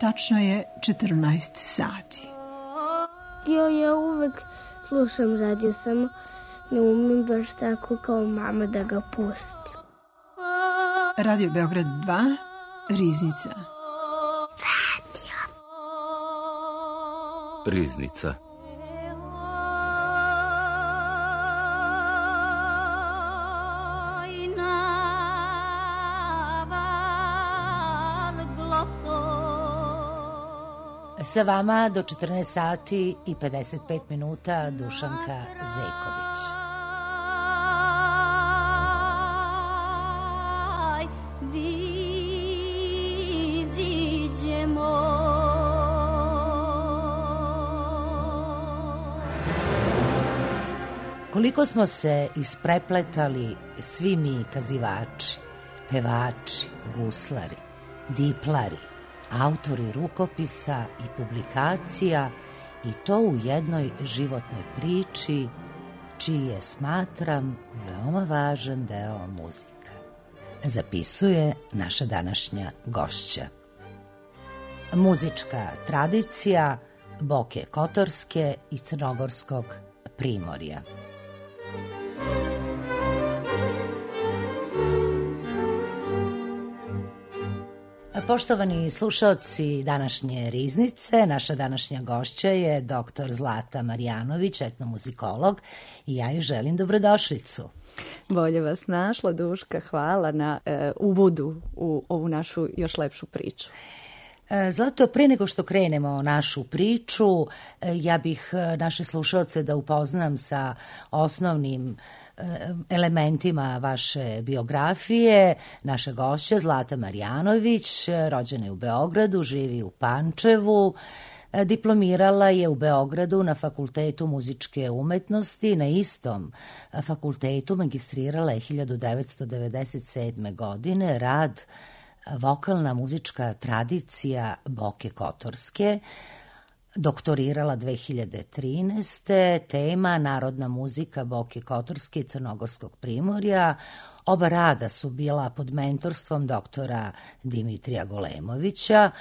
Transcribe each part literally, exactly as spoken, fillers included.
Tačno je četrnaest sati. Jo, ja uvek slušam radio, samo ne umem baš tako kao mama da ga pustim. Radio Beograd dva, Riznica. Radio. Riznica. Sa vama do četrnaest sati i pedeset pet minuta Dušanka Zejković. Koliko smo se isprepletali svi mi kazivači, pevači, guslari, diplari, autori rukopisa i publikacija, i to u jednoj životnoj priči, čiji je, smatram, veoma važan deo muzika. Zapisuje naša današnja gošća. Muzička tradicija Boke Kotorske i Crnogorskog primorja. Poštovani slušaoci današnje Riznice, naša današnja gošća je doktor Zlata Marjanović, etnomuzikolog, i ja joj želim dobrodošlicu. Bolje vas našla, Duška, hvala na e, uvodu u ovu našu još lepšu priču. Zlato, pre nego što krenemo našu priču, ja bih naše slušalce da upoznam sa osnovnim elementima vaše biografije. Naša gošća Zlata Marjanović, rođena je u Beogradu, živi u Pančevu, diplomirala je u Beogradu na Fakultetu muzičke umetnosti, na istom fakultetu magistrirala je hiljadu devetsto devedeset sedme. godine rad Vokalna muzička tradicija Boke Kotorske, doktorirala dve hiljade trinaeste. tema Narodna muzika Boke Kotorske i Crnogorskog primorja. Oba rada su bila pod mentorstvom doktora Dimitrija Golemovića,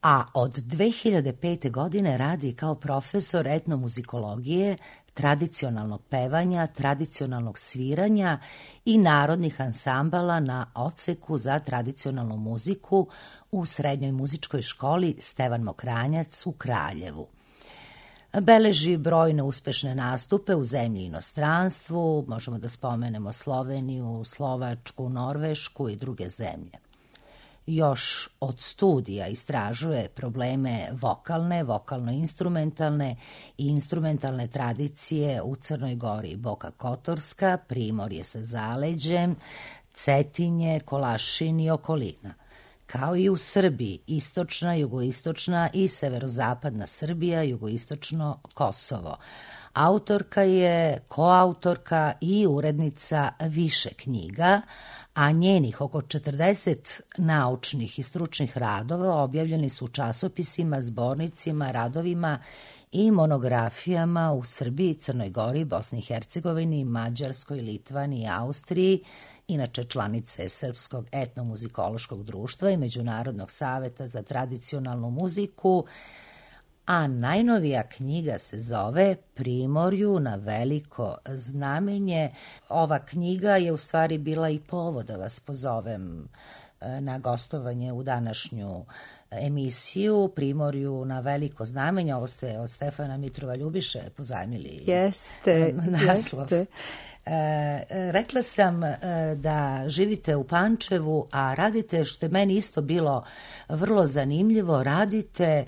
a od dve hiljade pete. godine radi kao profesor etnomuzikologije, tradicionalnog pevanja, tradicionalnog sviranja i narodnih ansambala na odseku za tradicionalnu muziku u Srednjoj muzičkoj školi Stevan Mokranjac u Kraljevu. Beleži brojne uspešne nastupe u zemlji i inostranstvu, možemo da spomenemo Sloveniju, Slovačku, Norvešku i druge zemlje. Još od studija istražuje probleme vokalne, vokalno-instrumentalne i instrumentalne tradicije u Crnoj Gori, Boka Kotorska, Primorje sa zaleđem, Cetinje, Kolašin i okolina, kao i u Srbiji, istočna, jugoistočna i severozapadna Srbija, jugoistočno Kosovo. Autorka je koautorka i urednica više knjiga, a njenih oko četrdeset naučnih i stručnih radova objavljeni su u časopisima, zbornicima, radovima i monografijama u Srbiji, Crnoj Gori, Bosni i Hercegovini, Mađarskoj, Litvani i Austriji, inače članice Srpskog etnomuzikološkog društva i Međunarodnog saveta za tradicionalnu muziku, a najnovija knjiga se zove Primorju na veliko znamenje. Ova knjiga je u stvari bila i povod da vas pozovem na gostovanje u današnju emisiju Primorju na veliko znamenje. Ovo ste od Stefana Mitrova Ljubiše pozajmili. Jeste, naslov. jeste. E, rekla sam e, da živite u Pančevu, a radite, što je meni isto bilo vrlo zanimljivo, radite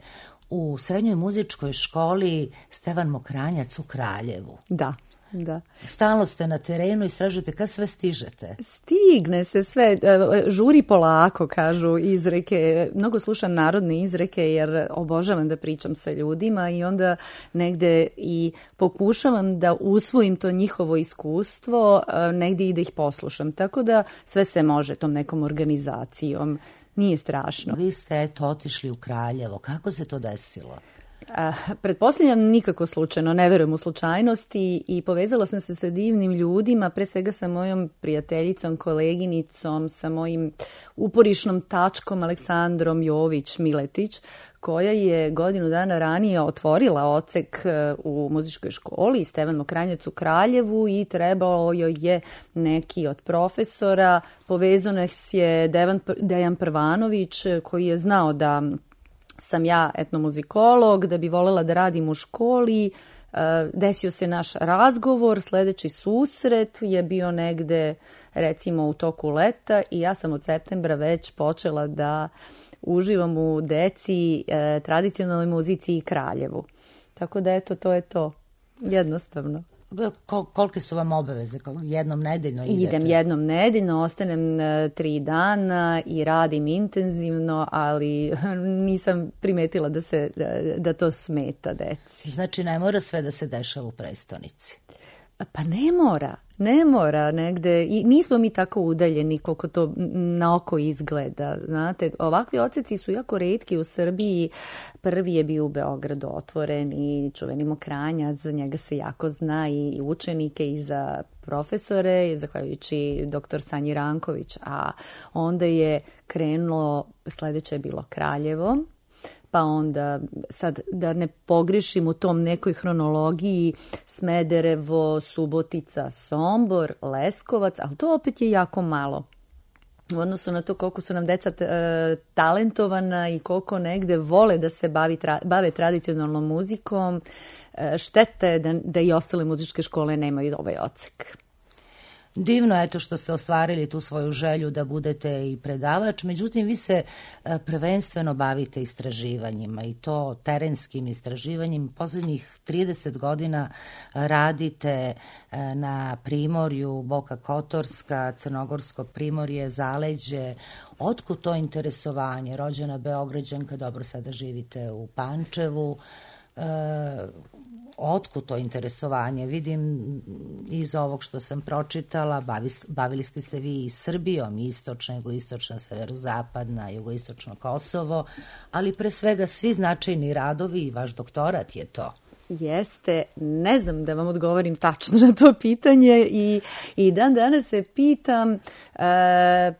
u Srednjoj muzičkoj školi Stevan Mokranjac u Kraljevu. Da, da. Stalno ste na terenu, istražujete, kad sve stižete? Stigne se sve, žuri polako, kažu izreke. Mnogo slušam narodne izreke jer obožavam da pričam sa ljudima i onda negde i pokušavam da usvojim to njihovo iskustvo, negde i da ih poslušam. Tako da sve se može tom nekom organizacijom. Nije strašno. Vi ste eto otišli u Kraljevo. Kako se to desilo? A, pretpostavljam nikako slučajno, ne verujem u slučajnosti i povezala sam se sa divnim ljudima, pre svega sa mojom prijateljicom, koleginicom, sa mojim uporišnom tačkom Aleksandrom Jović-Miletić, koja je godinu dana ranije otvorila odsek u muzičkoj školi Stevan Mokranjac u Kraljevu i trebalo joj je neki od profesora. Povezao nas je Devan, Dejan Prvanović koji je znao da sam ja etnomuzikolog, da bi volela da radim u školi. Desio se naš razgovor, sledeći susret je bio negde recimo u toku leta i ja sam od septembra već počela da uživam u deci, e, tradicionalnoj muzici i Kraljevu. Tako da eto, to je to. Jednostavno. Kol, kolike su vam obaveze? Jednom nedeljno idete? Idem jednom nedeljno, ostanem e, tri dana i radim intenzivno, ali nisam primetila da, se, da, da to smeta deci. Znači ne mora sve da se dešava u prestonici? Pa ne mora, ne mora negde. I nismo mi tako udaljeni koliko to na oko izgleda. Znate, ovakvi odseci su jako retki u Srbiji. Prvi je bio u Beogradu otvoren i čuveni Mokranjac, za njega se jako zna i učenike i za profesore, zahvaljujući doktor Sanji Ranković. A onda je krenulo, sledeće je bilo Kraljevo, pa onda, sad da ne pogrešim u tom nekoj hronologiji, Smederevo, Subotica, Sombor, Leskovac, ali to opet je jako malo. U odnosu na to koliko su nam deca e, talentovana i koliko negde vole da se bavi, tra, bave tradicionalnom muzikom, e, štete je da, da i ostale muzičke škole nemaju ovaj odsek. Divno je to što ste ostvarili tu svoju želju da budete i predavač, međutim vi se prvenstveno bavite istraživanjima i to terenskim istraživanjem. Poslednjih trideset godina radite na primorju, Boka Kotorska, Crnogorsko primorje, Zaleđe. Otkud to interesovanje? Rođena Beograđanka, dobro sada živite u Pančevu. E, Otkud to interesovanje? Vidim iz ovog što sam pročitala, bavi, bavili ste se vi i Srbijom, istočna, jugoistočna, severozapadna, jugoistočno Kosovo, ali pre svega svi značajni radovi i vaš doktorat je to. Jeste, ne znam da vam odgovorim tačno na to pitanje i, i dan danas se pitam, e,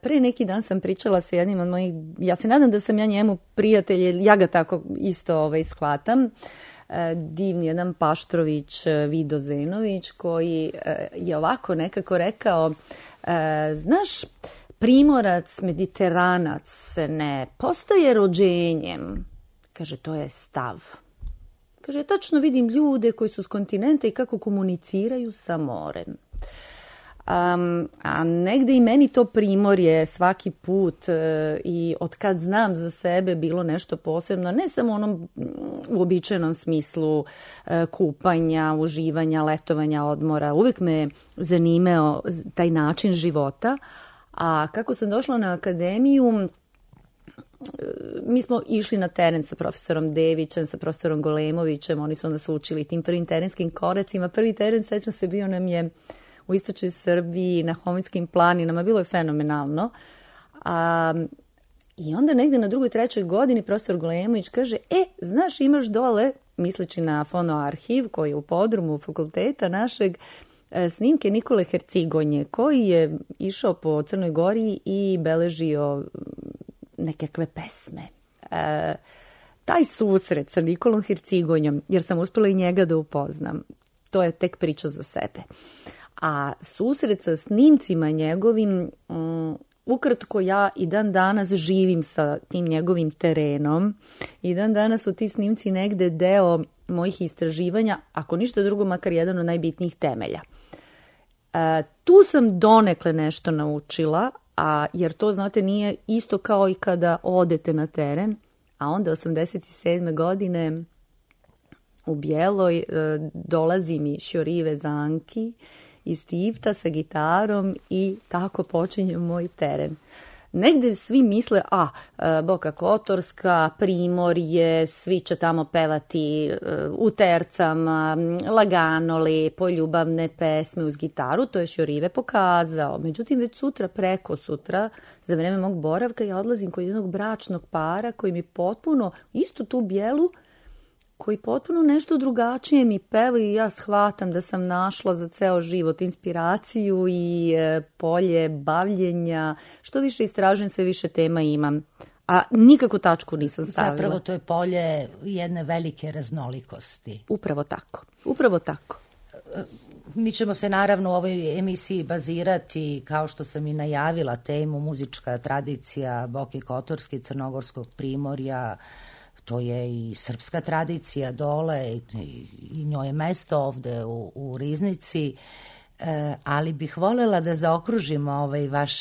pre neki dan sam pričala sa jednim od mojih, ja se nadam da sam ja njemu prijatelj, ja ga tako isto ovaj, shvatam, divni jedan Paštrović Vido Zenović koji je ovako nekako rekao, znaš, Primorac, Mediteranac ne postaje rođenjem, kaže, to je stav. Kaže, tačno vidim ljude koji su s kontinenta i kako komuniciraju sa morem. Um, a negde i meni to primorje svaki put e, i od kad znam za sebe bilo nešto posebno, ne samo u onom uobičajenom smislu e, kupanja, uživanja, letovanja, odmora. Uvijek me zanimao taj način života. A kako sam došla na akademiju, mi smo išli na teren sa profesorom Devićem, sa profesorom Golemovićem, oni su nas učili tim prvim terenskim koracima. Prvi teren, sećam se, bio nam je u istočnoj Srbiji, na Hominskim planinama, bilo je fenomenalno. A, I onda negde na drugoj, trećoj godini profesor Golemović kaže, e, znaš, imaš dole, misleći na fonoarhiv koji je u podrumu fakulteta našeg, snimke Nikole Hercigonje, koji je išao po Crnoj Gori i beležio nekakve pesme. E, taj susret sa Nikolom Hercigonjom, jer sam uspela i njega da upoznam, to je tek priča za sebe. A susret sa snimcima njegovim, um, ukratko ja i dan danas živim sa tim njegovim terenom i dan danas su ti snimci negde deo mojih istraživanja, ako ništa drugo, makar jedan od najbitnijih temelja. E, tu sam donekle nešto naučila, a jer to, znate, nije isto kao i kada odete na teren, a onda osamdeset sedme godine u Bjeloj e, dolazi mi Šjorive Zanki iz Tivta sa gitarom i tako počinje moj teren. Negde svi misle, a, Boka Kotorska, Primorje, svi će tamo pevati u tercama, lagano, lepo, ljubavne pesme uz gitaru, to je Šjorive pokazao. Međutim, već sutra, preko sutra, za vreme mog boravka, ja odlazim kod jednog bračnog para koji mi potpuno istu tu Bijelu koji potpuno nešto drugačije mi pevaju i ja shvatam da sam našla za ceo život inspiraciju i e, polje bavljenja. Što više istražujem, sve više tema imam. A nikako tačku nisam stavila. Zapravo to je polje jedne velike raznolikosti. Upravo tako. Upravo tako. Mi ćemo se naravno u ovoj emisiji bazirati, kao što sam i najavila, temu muzička tradicija Boke Kotorske i Crnogorskog primorja. To je i srpska tradicija dole i, i njoj je mesto ovde u, u Riznici. E, ali bih voljela da zaokružimo ovaj vaš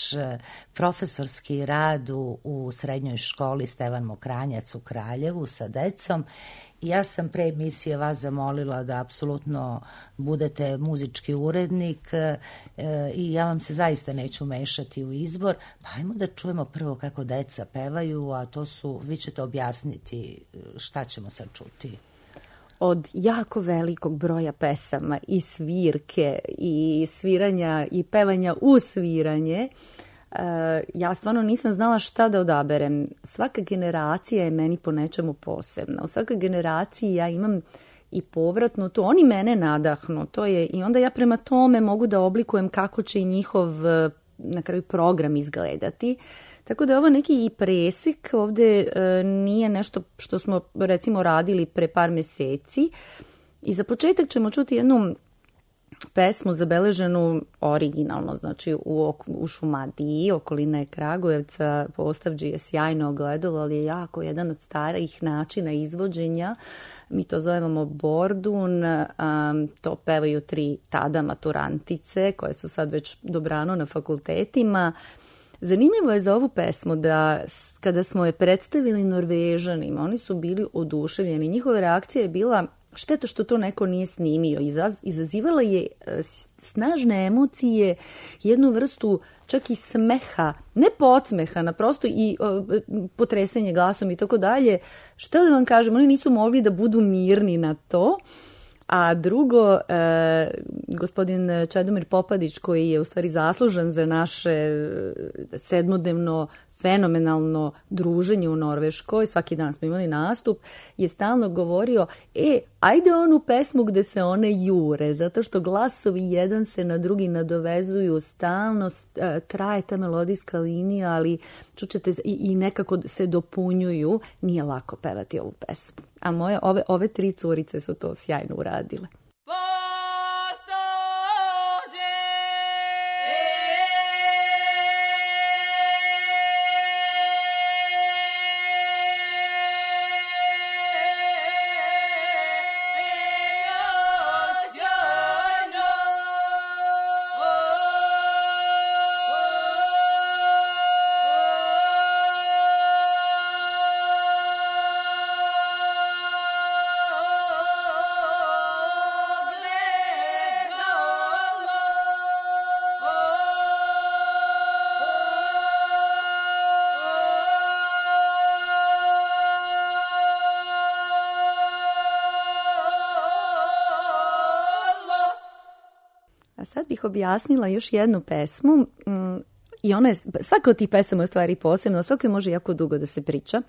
profesorski rad u, u srednjoj školi Stevan Mokranjac u Kraljevu sa decom. Ja sam pre emisije vas zamolila da apsolutno budete muzički urednik e, i ja vam se zaista neću mešati u izbor. Pa ajmo da čujemo prvo kako deca pevaju, a to su, vi ćete objasniti šta ćemo sad čuti. Od jako velikog broja pesama i svirke i sviranja i pevanja u sviranje, ja stvarno nisam znala šta da odaberem. Svaka generacija je meni po nečemu posebna. U svakoj generaciji ja imam i povratno to. Oni mene nadahnu. To je, i onda ja prema tome mogu da oblikujem kako će i njihov na kraju program izgledati. Tako da je ovo neki i presek. Ovde e, nije nešto što smo recimo radili pre par meseci. I za početak ćemo čuti jednu pesmu zabeleženu originalno, znači u, u Šumadiji, okolina je Kragujevca, Postavđi je sjajno ogledalo, ali je jako jedan od starih načina izvođenja. Mi to zovemo bordun, um, to pevaju tri tada maturantice koje su sad već dobrano na fakultetima. Zanimljivo je za ovu pesmu da kada smo je predstavili Norvežanima, oni su bili oduševljeni. Njihova reakcija je bila šteta što to neko nije snimio. Izaz, izazivala je snažne emocije, jednu vrstu čak i smeha, ne podsmeha, na prosto i o, potresanje glasom i tako dalje. Što da vam kažem, oni nisu mogli da budu mirni na to. A drugo, e, gospodin Čedomir Popadić, koji je u stvari zaslužan za naše sedmodnevno fenomenalno druženje u Norveškoj, svaki dan smo imali nastup, je stalno govorio, e, ajde onu pesmu gde se one jure, zato što glasovi jedan se na drugi nadovezuju, stalno traje ta melodijska linija, ali čućete i, i nekako se dopunjuju, nije lako pevati ovu pesmu. A moje, ove, ove tri curice su to sjajno uradile. A sad bih objasnila još jednu pesmu i ona je, svaka od tih pesama je u stvari posebno, svako može jako dugo da se priča.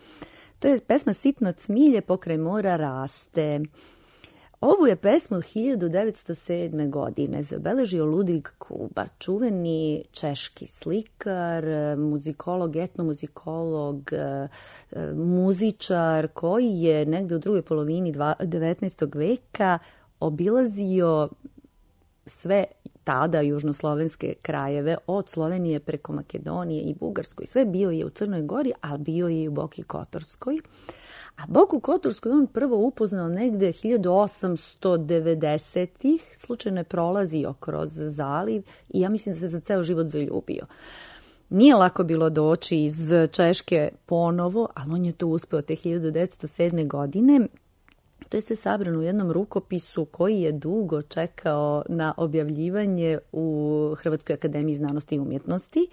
To je pesma Sitno cmilje pokraj mora raste. Ovu je pesmu od hiljadu devetsto sedme. godine zabeležio Ludvig Kuba, čuveni češki slikar, muzikolog, etnomuzikolog, muzičar koji je negde u drugoj polovini devetnaestog. veka obilazio sve tada južnoslovenske krajeve, od Slovenije preko Makedonije i Bugarskoj. Sve bio je u Crnoj Gori, ali bio je i u Boki Kotorskoj. A Boku Kotorsku je on prvo upoznao negde hiljadu osamsto devedesetih. Slučajno je prolazio kroz zaliv i ja mislim da se za ceo život zaljubio. Nije lako bilo doći iz Češke ponovo, ali on je to uspeo te hiljadu devetsto sedme. godine. To je sve sabrano u jednom rukopisu koji je dugo čekao na objavljivanje u Hrvatskoj akademiji znanosti i umjetnosti.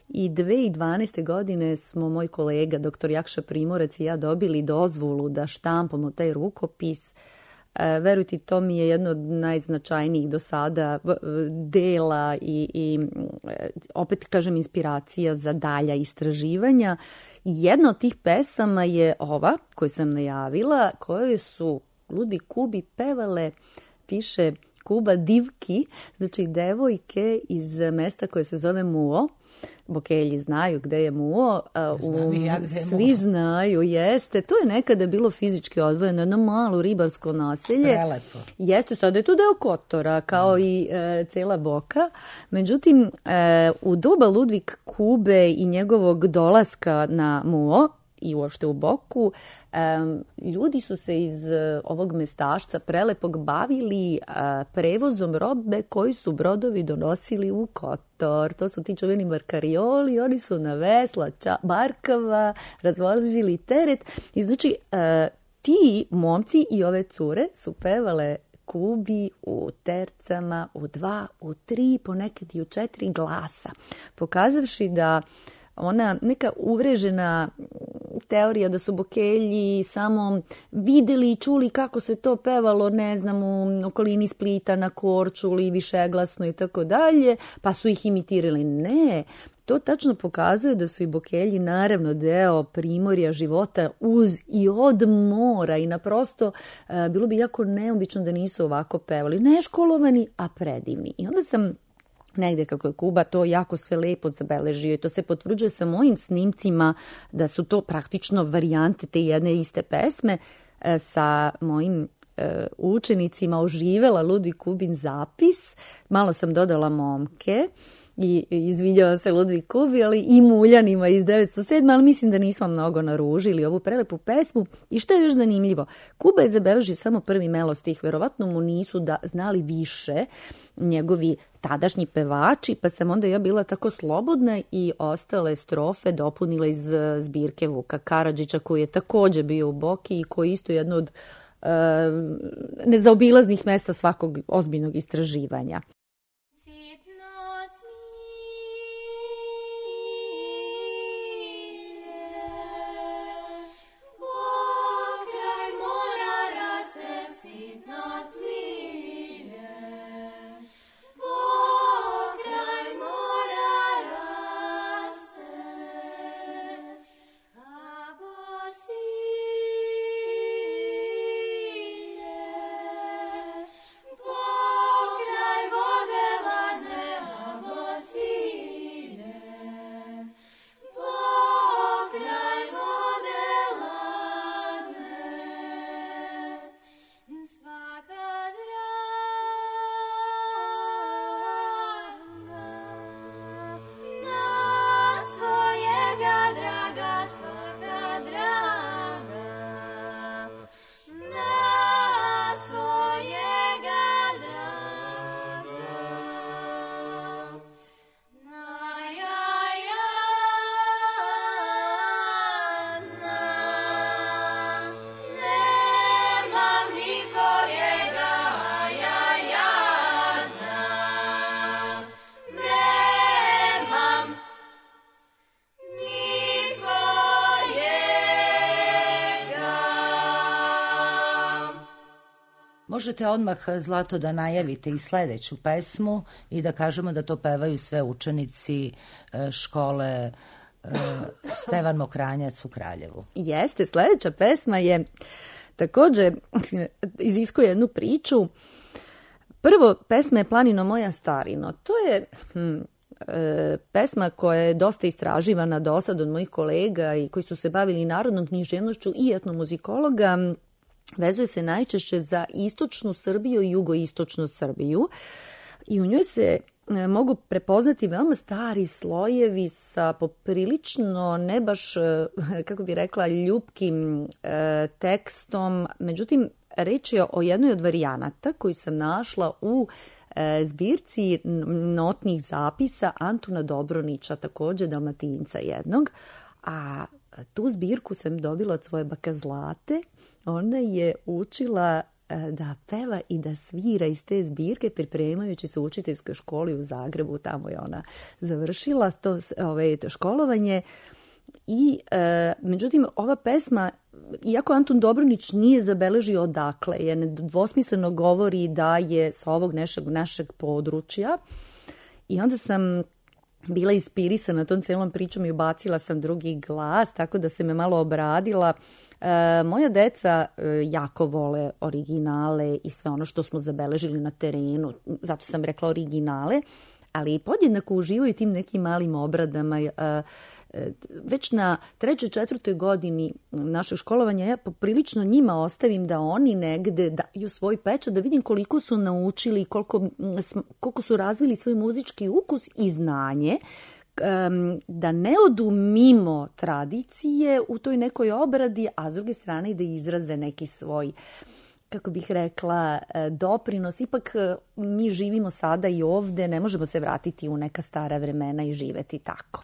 I dve hiljade dvanaeste. godine smo moj kolega, doktor Jakša Primorac i ja dobili dozvolu da štampamo taj rukopis. E, verujte, to mi je jedno od najznačajnijih do sada dela i, i opet kažem inspiracija za dalja istraživanja. Jedna od tih pesama je ova koju sam najavila, koje su Ludvig Kubi pevale, piše Kuba divki, znači devojke iz mesta koje se zove Muo. Bokelji znaju gde je Muo. Znam i ja gde je Svi Muo. znaju, jeste. To je nekada bilo fizički odvojeno, jedno malo ribarsko naselje. Prelepo. Jeste, sada je tu deo Kotora, kao mm. i e, cela Boka. Međutim, e, u doba Ludvig Kube i njegovog dolaska na Muo i uopšte u Boku, um, ljudi su se iz uh, ovog mestašca prelepog bavili uh, prevozom robe koji su brodovi donosili u Kotor. To su ti čuveni barkarioli, oni su na vesla, ča, barkava, razvozili teret. I znači, uh, ti momci i ove cure su pevale Kubi u tercama, u dva, u tri, ponekad i u četiri glasa, pokazavši da ona neka uvrežena teorija da su Bokelji samo videli i čuli kako se to pevalo, ne znam, u okolini Splita, na Korčuli, višeglasno i tako dalje, pa su ih imitirali. Ne, to tačno pokazuje da su i Bokelji naravno deo primorja života uz i od mora i naprosto e, bilo bi jako neobično da nisu ovako pevali. Neškolovani, a predivni. I onda sam negde kako je Kuba to jako sve lepo zabeležio i to se potvrđuje sa mojim snimcima da su to praktično varijante te jedne iste pesme. E, sa mojim e, učenicima oživela Ludvig Kubin zapis, malo sam dodala momke i izviđao se Ludvig Kubi, ali i muljanima iz devetsto sedme. ali mislim da nismo mnogo naružili ovu prelepu pesmu. I što je još zanimljivo, Kuba je zabeležio samo prvi melo stih, verovatno mu nisu da znali više njegovi tadašnji pevači, pa sam onda ja bila tako slobodna i ostale strofe dopunila iz zbirke Vuka Karadžića, koji je također bio u Boki i koji isto jedno od e, nezaobilaznih mesta svakog ozbiljnog istraživanja. Možete odmah, Zlato, da najavite i sledeću pesmu i da kažemo da to pevaju sve učenici škole Stevan Mokranjac u Kraljevu. Jeste, sledeća pesma je takođe iziskuje jednu priču. Prvo, pesma je Planino moja starino. To je hm, e, pesma koja je dosta istraživana do sad od mojih kolega i koji su se bavili narodnom književnošću i etnomuzikologa. Vezuje se najčešće za istočnu Srbiju i jugoistočnu Srbiju i u njoj se mogu prepoznati veoma stari slojevi sa poprilično ne baš, kako bi rekla, ljubkim e, tekstom. Međutim, reč je o jednoj od varijanata koju sam našla u e, zbirci notnih zapisa Antuna Dobronića, također Dalmatinca jednog, a tu zbirku sam dobila od svoje baka Zlate. Ona je učila da peva i da svira iz te zbirke pripremajući se u učiteljskoj školi u Zagrebu. Tamo je ona završila to, ove, to školovanje. I, e, međutim, ova pesma, iako Antun Dobronić nije zabeležio odakle, je nedvosmisleno govori da je sa ovog našeg, našeg područja. I onda sam bila inspirisana tom celom pričom i ubacila sam drugi glas, tako da se me malo obradila. E, moja deca e, jako vole originale i sve ono što smo zabeležili na terenu, zato sam rekla originale, ali podjednako uživaju tim nekim malim obradama. E, već na trećoj, četvrtoj godini našeg školovanja ja poprilično njima ostavim da oni negde daju svoj pečat, da vidim koliko su naučili, koliko, koliko su razvili svoj muzički ukus i znanje, da ne odu mimo tradicije u toj nekoj obradi, a s druge strane i da izraze neki svoj, kako bih rekla, doprinos. Ipak mi živimo sada i ovde, ne možemo se vratiti u neka stara vremena i živeti tako.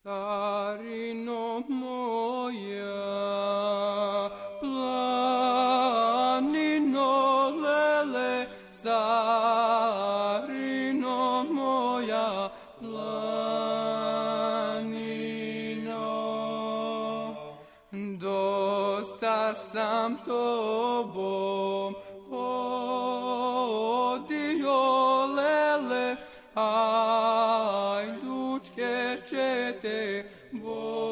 Starino moja, planino lele, starino moja, planino. Dosta sam tobom hodio lele, ajdučke čete vodio.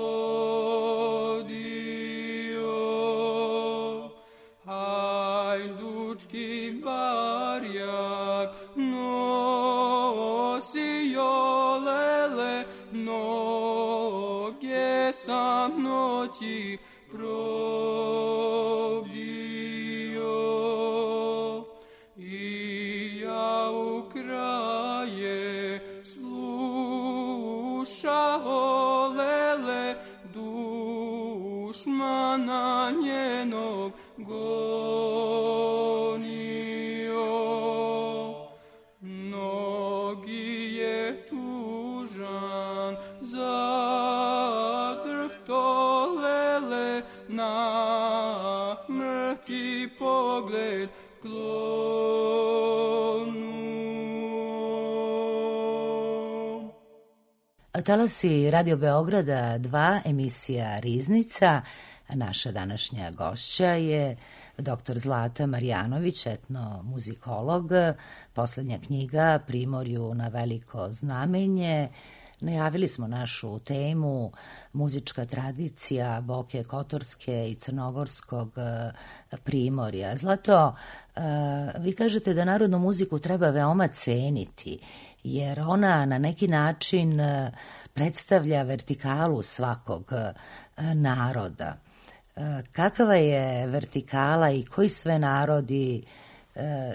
Ajdučki barjak nosio lele, noge sam noći probdio. I ja u kraje slušao lele, dušmana njenog gonio. Mnogi je tužan zadrhto lele, na mrki pogled klonuo. Talasi Radio Beograda dva, emisija Riznica. Naša današnja gošća je doktor Zlata Marjanović, etnomuzikolog. Poslednja knjiga Primorju na veliko znamenje. Najavili smo našu temu muzička tradicija Boke Kotorske i Crnogorskog primorja. Zlato, vi kažete da narodnu muziku treba veoma ceniti, jer ona na neki način predstavlja vertikalu svakog naroda. Kakva je vertikala i koji sve narodi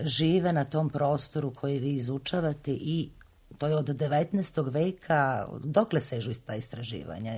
žive na tom prostoru koji vi izučavate, i to je od devetnaestog veka, dokle sežu ta istraživanja?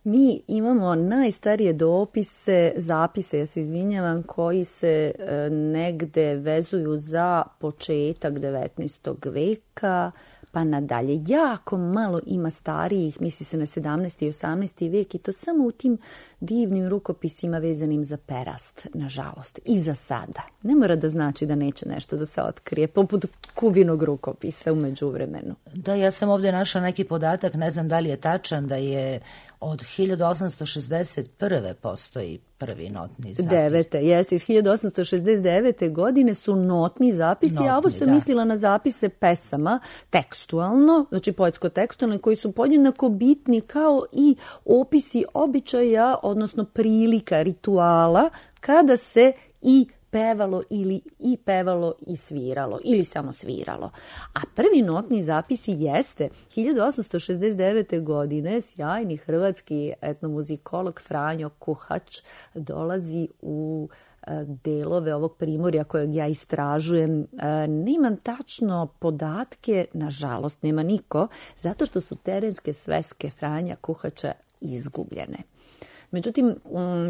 Mi imamo najstarije dopise, zapise, ja se izvinjavam, koji se negde vezuju za početak devetnaestog veka, pa nadalje. Jako malo ima starijih, misli se na sedamnaesti i osamnaesti vek, i to samo u tim divnim rukopisima vezanim za perast, nažalost, i za sada. Ne mora da znači da neće nešto da se otkrije, poput Kubinog rukopisa u međuvremenu. Da, ja sam ovdje našla neki podatak, ne znam da li je tačan, da je od hiljadu osamsto šezdeset prve postoji prvi notni zapis. Devete, jeste, iz hiljadu osamsto šezdeset devete godine su notni zapisi, notni, a ovo sam da. mislila na zapise pesama tekstualno, znači poetsko-tekstualno, koji su podjednako bitni kao i opisi običaja, odnosno prilika, rituala, kada se i pevalo ili i pevalo i sviralo ili samo sviralo. A prvi notni zapisi jeste hiljadu osamsto šezdeset devete godine sjajni hrvatski etnomuzikolog Franjo Kuhač dolazi u delove ovog primorja kojeg ja istražujem. Nemam tačno podatke, nažalost nema niko, zato što su terenske sveske Franja Kuhača izgubljene. Međutim,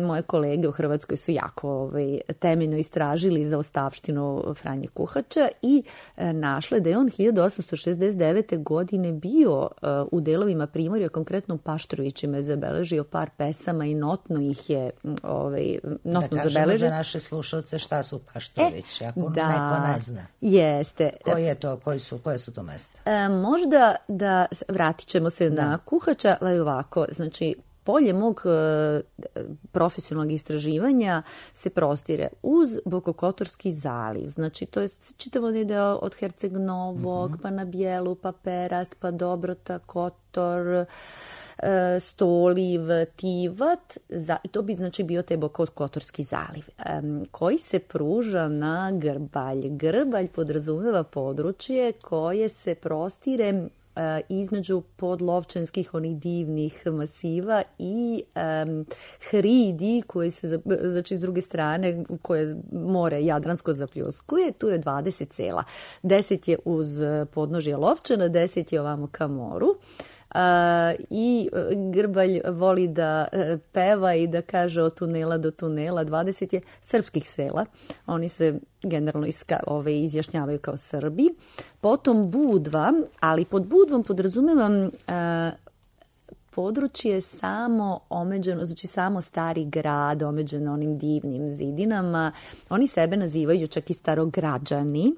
moje kolege u Hrvatskoj su jako ovaj, temeljno istražili za ostavštinu Franje Kuhača i e, našle da je on hiljadu osamsto šezdeset devete godine bio e, u delovima primorja, konkretno u Paštrovićima je zabeležio par pesama i notno ih je ovaj, notno da zabeležio. Za naše slušalce šta su Paštrovići, e, ako da, neko ne zna. Jeste. Koje, je to, koji su, koje su to mesta? E, možda da vratit ćemo se da. na Kuhača, ali ovako, znači polje mog e, profesionalnog istraživanja se prostire uz Bokokotorski zaliv. Znači, to je čitavo deo od Herceg Novog, mm-hmm. pa na Bijelu, pa Perast, pa Dobrota, Kotor, e, Stoliv, Tivat. Za, I to bi znači bio taj Bokokotorski zaliv, e, koji se pruža na Grbalj. Grbalj podrazumeva područje koje se prostire između podlovčanskih onih divnih masiva i um, hridi koje se, znači s druge strane koje more Jadransko zapljuskuje, tu je dvadeset sela. deset je uz podnožje Lovčana, deset je ovamo ka moru. Uh, i Grbalj voli da uh, peva i da kaže od tunela do tunela. dvadeset je srpskih sela. Oni se generalno iska, ove, izjašnjavaju kao Srbi. Potom Budva, ali pod Budvom podrazumevam uh, područje samo omeđeno, znači samo stari grad omeđeno onim divnim zidinama. Oni sebe nazivaju čak i starograđani,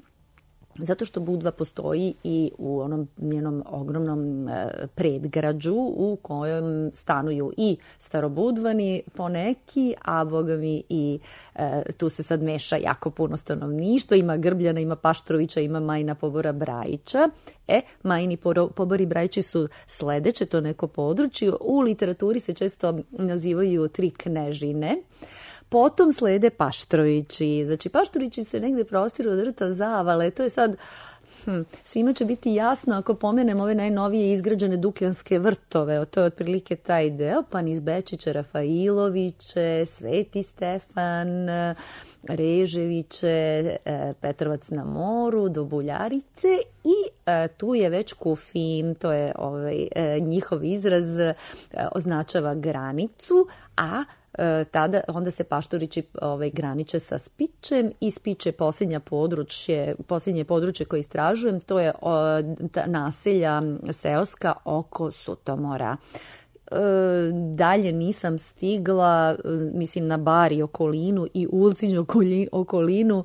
zato što Budva postoji i u onom njenom ogromnom e, predgrađu u kojem stanuju i starobudvani poneki, a boga mi i e, tu se sad meša jako puno stanovništva. Ima Grbljana, ima Paštrovića, ima Majina Pobora Brajića. E, Majini Pobori Brajići su sledeće to neko područje. U literaturi se često nazivaju tri knežine. Potom slede Paštrovići. Znači, Paštrovići se negde prostiru od rta Zavale. To je sad, hm, svima će biti jasno ako pomenem ove najnovije izgrađene Dukljanske vrtove. To je otprilike taj deo, pa niz Bečiće, Rafailoviće, Sveti Stefan, Reževiće, Petrovac na moru, do Buljarice i e, tu je već Kufin, to je ovaj, e, njihov izraz, e, označava granicu, a tada onda se Paštorići ovaj, graniče sa Spičem i Spič je posljednja područje, posljednje područje koje istražujem, to je o, ta naselja seoska oko Sutomora. E, dalje nisam stigla, mislim na Bar i okolinu i Ulcinj okolinu.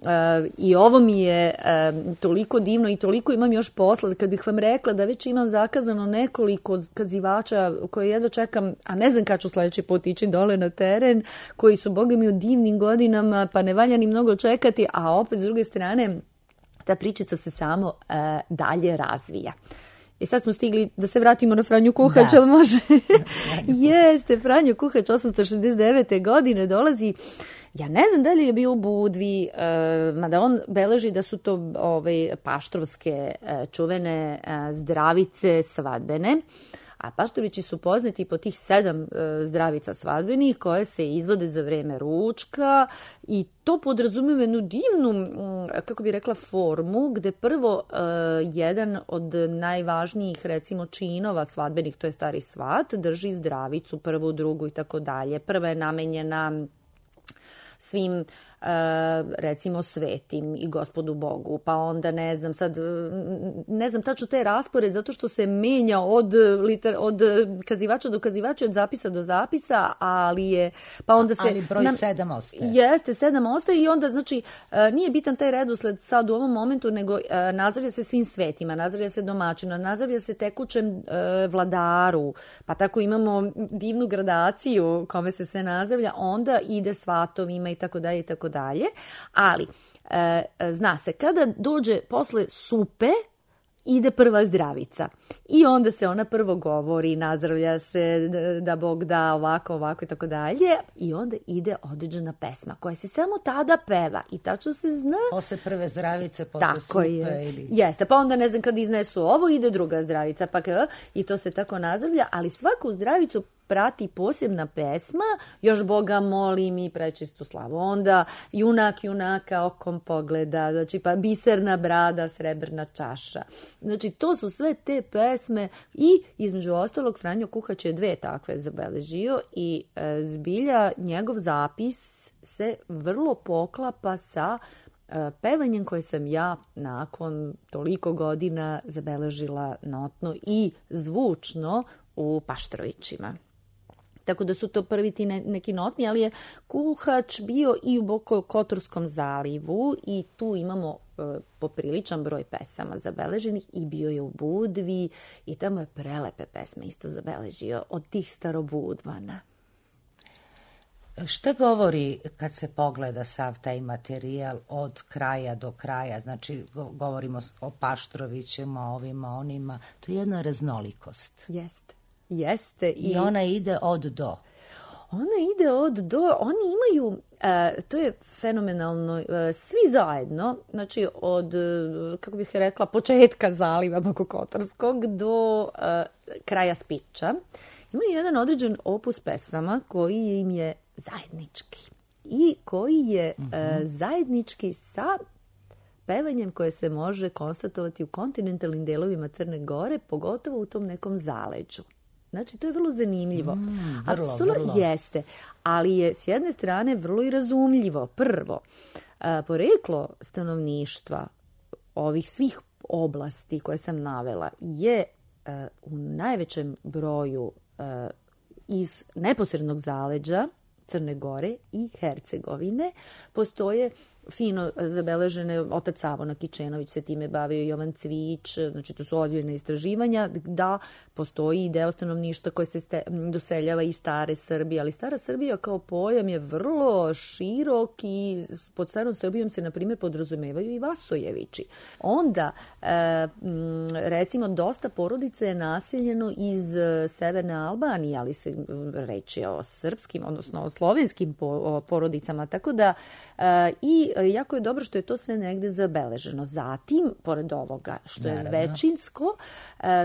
E, I ovo mi je e, toliko divno i toliko imam još posla. Kad bih vam rekla da već imam zakazano nekoliko kazivača koje jedva čekam, a ne znam kad ću sljedeći put ići dole na teren, koji su, boga mi, u divnim godinama, pa ne valja ni mnogo čekati, a opet s druge strane ta pričica se samo e, dalje razvija. I sad smo stigli da se vratimo na Franju Kuhać, ali može? Jeste, Franjo Kuhać osamsto šezdeset devete godine dolazi. Ja ne znam da li je bio u Budvi, e, mada on beleži da su to ove, paštrovske e, čuvene e, zdravice svadbene. A Paštovići su poznati po tih sedam e, zdravica svadbenih koje se izvode za vreme ručka i to podrazumijeva jednu divnu, kako bi rekla, formu gde prvo e, jedan od najvažnijih recimo činova svadbenih, to je stari svat, drži zdravicu, prvu, drugu i tako dalje. Prva je namenjena svim recimo svetim i Gospodu Bogu, pa onda ne znam sad, ne znam tačno te raspored zato što se menja od, liter, od kazivača do kazivača, od zapisa do zapisa, ali je, pa onda se... Ali broj nam, sedam ostaje. Jeste, sedam ostaje i onda znači nije bitan taj redosled sad u ovom momentu, nego nazdravlja se svim svetima, nazdravlja se domaćinu, nazdravlja se tekućem vladaru, pa tako imamo divnu gradaciju kome se sve nazdravlja, onda ide svatovima i tako dalje i tako dalje, ali e, zna se kada dođe posle supe ide prva zdravica i onda se ona prvo govori, nazdravlja se da Bog da ovako, ovako i tako dalje i onda ide određena pesma koja se samo tada peva i tačno se zna. Posle prve zdravice, posle tako supe je. Ili... Jeste, pa onda ne znam kad iznesu ovo ide druga zdravica pa i to se tako nazdravlja, ali svaku zdravicu prati posebna pesma, još Boga molim i prečistu slavu. Onda junak junaka okom pogleda, znači pa biserna brada, srebrna čaša. Znači to su sve te pesme i između ostalog Franjo Kuhać je dve takve zabeležio i e, zbilja njegov zapis se vrlo poklapa sa e, pevanjem koje sam ja nakon toliko godina zabeležila notno i zvučno u Paštrovićima. Tako da su to prvi ti ne, neki notni, ali je Kuhać bio i u Bokokotorskom zalivu i tu imamo popriličan broj pesama zabeleženih i bio je u Budvi i tamo je prelepe pesme isto zabeležio od tih starobudvana. Šta govori kad se pogleda sav taj materijal od kraja do kraja? Znači, govorimo o Paštrovićima, ovima, onima. To je jedna raznolikost. Jeste. Jeste. I, I ona ide od do. Ona ide od do. Oni imaju, uh, to je fenomenalno, uh, svi zajedno, znači od, uh, kako bih rekla, početka zaliva Bokokotorskog do uh, kraja Spiča, imaju jedan određen opus pesama koji im je zajednički i koji je mm-hmm. uh, zajednički sa pevanjem koje se može konstatovati u kontinentalnim delovima Crne Gore, pogotovo u tom nekom zaleđu. Znači, to je vrlo zanimljivo. Mm, vrlo, Apsolutno vrlo. Jeste, ali je s jedne strane vrlo i razumljivo. Prvo, uh, poreklo stanovništva ovih svih oblasti koje sam navela je uh, u najvećem broju uh, iz neposrednog zaleđa Crne Gore i Hercegovine. Postoje fino zabeležene, otac Savo Nakičenović se time bavio, Jovan Cvić, znači to su ozbiljne istraživanja, da postoji i deo stanovništva koje se ste, doseljava iz stare Srbije, ali stara Srbija kao pojam je vrlo širok i pod starom Srbijom se, na primjer, podrazumevaju i Vasojevići. Onda, recimo, dosta porodica je naseljeno iz severne Albanije, ali se reči o srpskim, odnosno o slovenskim porodicama, tako da i jako je dobro što je to sve negde zabeleženo. Zatim, pored ovoga, što je Naravno. većinsko,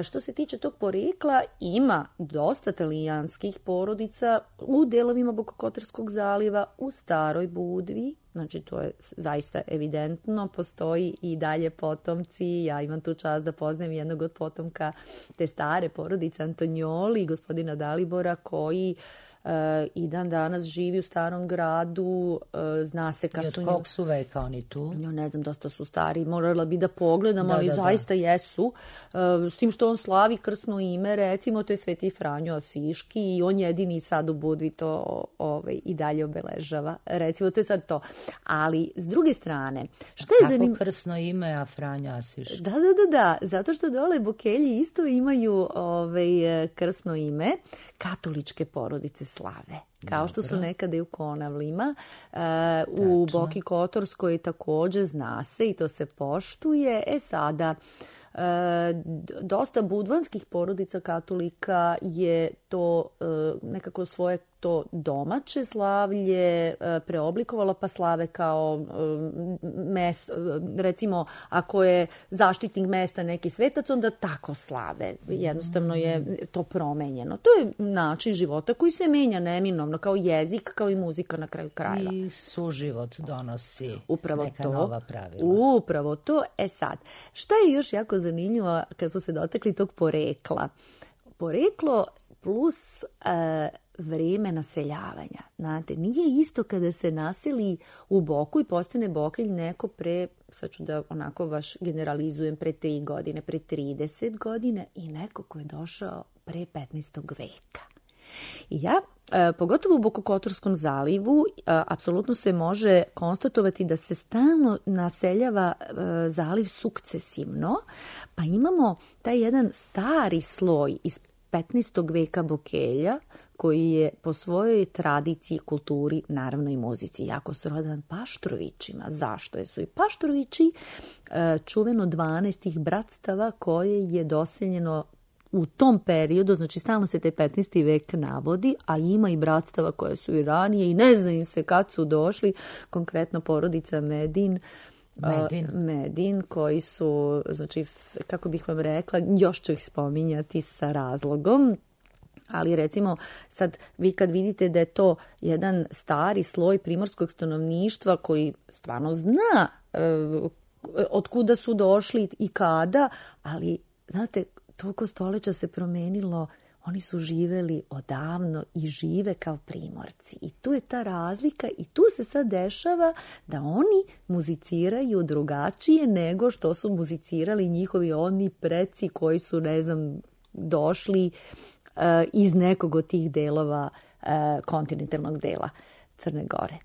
što se tiče tog porekla, ima dosta talijanskih porodica u delovima Bokokotorskog zaliva, u Staroj Budvi, znači to je zaista evidentno, postoji i dalje potomci. Ja imam tu čast da poznajem jednog od potomka te stare porodice Antonjoli, gospodina Dalibora, koji Uh, i dan danas živi u Starom gradu, uh, zna se kad su... I od su kog su veka oni tu? Ja ne znam, dosta su stari, morala bi da pogledam, da, ali da, zaista da. jesu. Uh, s tim što on slavi krsno ime, recimo, to je Sveti Franjo Asiški i on jedini sad u Budvi to ovaj, i dalje obeležava. Recimo, to je sad to. Ali, s druge strane, šta je zanimljivo? Kako krsno ime, a Franjo Asiški? Da, da, da, da, zato što dole Bokelji isto imaju ovaj, krsno ime, katoličke porodice slave. Kao što su nekada i u Konavlima. Uh, u Boki Kotorskoj također zna se i to se poštuje. E sada, uh, dosta budvanskih porodica katolika je to uh, nekako svoje to domaće slavlje preoblikovalo, pa slave kao mes, recimo ako je zaštitnik mesta neki svetac, onda tako slave. Jednostavno je to promenjeno. To je način života koji se menja neminovno, kao jezik, kao i muzika na kraju krajeva. I suživot donosi upravo neka to, nova pravila. Upravo to. E sad, šta je još jako zanimljivo kad smo se dotakli tog porekla? Poreklo plus e, vrijeme naseljavanja. Znate, nije isto kada se naseli u Boku i postane Bokelj neko pre, sad ću da onako vaš generalizujem, pre tri godine, pre trideset godine i neko ko je došao pre petnaestog veka. I ja, e, pogotovo u Bokokotorskom zalivu, e, apsolutno se može konstatovati da se stalno naseljava e, zaliv sukcesivno, pa imamo taj jedan stari sloj iz petnaestog veka Bokelja, koji je po svojoj tradiciji, kulturi, naravno i muzici, jako srodan Paštrovićima. Zašto? Jer su i Paštrovići čuveno dvanaest bratstava koje je doseljeno u tom periodu, znači stalno se taj petnaesti vek navodi, a ima i bratstava koje su i ranije i ne znaju se kad su došli, konkretno porodica Medin, Medin. Medin, koji su, znači, kako bih vam rekla, još ću ih spominjati sa razlogom. Ali recimo sad vi kad vidite da je to jedan stari sloj primorskog stanovništva koji stvarno zna e, od kuda su došli i kada, ali znate, toliko stoljeća se promenilo, oni su živeli odavno i žive kao primorci. I tu je ta razlika i tu se sad dešava da oni muziciraju drugačije nego što su muzicirali njihovi oni preci koji su, ne znam, došli iz nekog od tih delova kontinentalnog dela Crne Gore.